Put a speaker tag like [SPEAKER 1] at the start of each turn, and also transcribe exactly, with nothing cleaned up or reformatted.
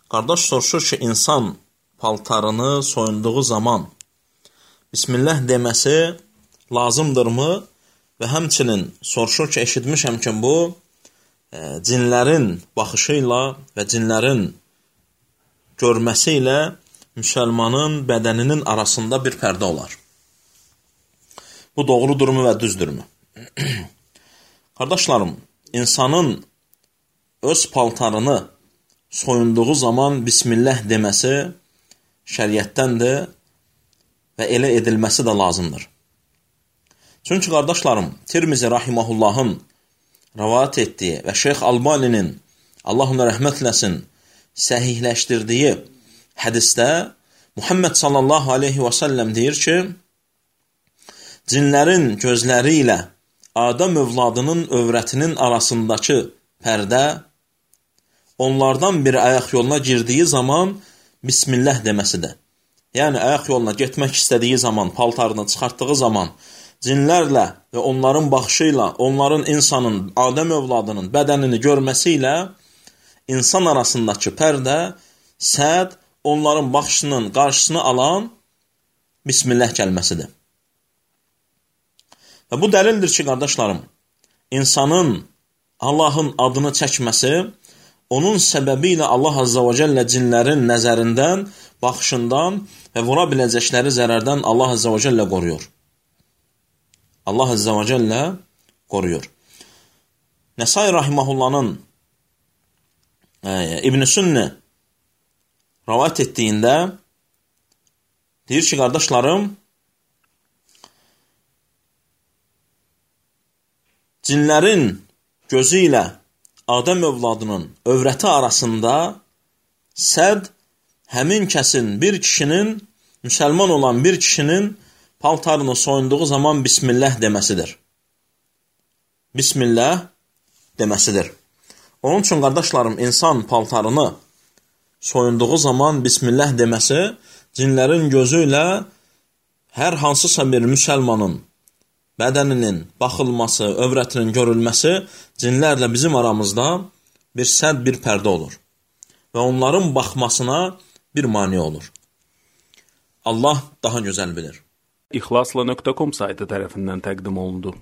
[SPEAKER 1] Qardaş soruşur ki, insan paltarını soyunduğu zaman Bismillah deməsi lazımdırmı? Və həmçinin soruşur ki, eşitmişəm ki, bu e, cinlərin baxışı ilə və cinlərin görməsi ilə müsəlmanın bədəninin arasında bir pərdə olar. Bu doğrudurmu və düzdürmü? Qardaşlarım, insanın öz paltarını soyunduğu zaman Bismillah deməsi şəriətdəndir və elə edilməsi də lazımdır. Çünki qardaşlarım, Tirmizi Rahimahullahın rəvayət etdiyi və Şeyx Albaninin, Allah ona rəhmət eləsin, səhihləşdirdiyi hədisdə Muhammed sallallahu aleyhi və səlləm deyir ki, cinlərin gözləri ilə Adəm övladının övrətinin arasındakı pərdə onlardan bir ayaq yoluna girdiyi zaman Bismillah deməsidir. Yəni, ayaq yoluna getmək istədiyi zaman, paltarını çıxartdığı zaman cinlərlə və onların baxışı ilə, onların insanın, Adəm övladının bədənini görməsi ilə insan arasındakı pərdə, səd, onların baxışının qarşısını alan Bismillah kəlməsidir. Və bu dəlildir ki, qardaşlarım, insanın Allahın adını çəkməsi, onun səbəbi ilə Allah Azza və Cəllə cinlərin nəzərindən, baxışından və vura biləcəkləri zərərdən Allah Azza və Cəllə qoruyur. Allah Azza və Cəllə qoruyur. Nəsai Rahimahullahın e, İbn-i Sünni rəvayət etdiyində deyir ki, qardaşlarım, cinlərin gözü ilə Adəm övladının övrəti arasında səd həmin kəsin, bir kişinin, müsəlman olan bir kişinin paltarını soyunduğu zaman Bismillah deməsidir. Bismillah deməsidir. Onun üçün, qardaşlarım, insan paltarını soyunduğu zaman Bismillah deməsi cinlərin gözü ilə hər hansısa bir müsəlmanın bədəninin baxılması, övrətinin görülməsi cinlərlə bizim aramızda bir səd, bir pərdə olur. Və onların baxmasına bir mane olur. Allah daha gözəl bilir.
[SPEAKER 2] İxlasla nöqtə com saytı tərəfindən təqdim olundu.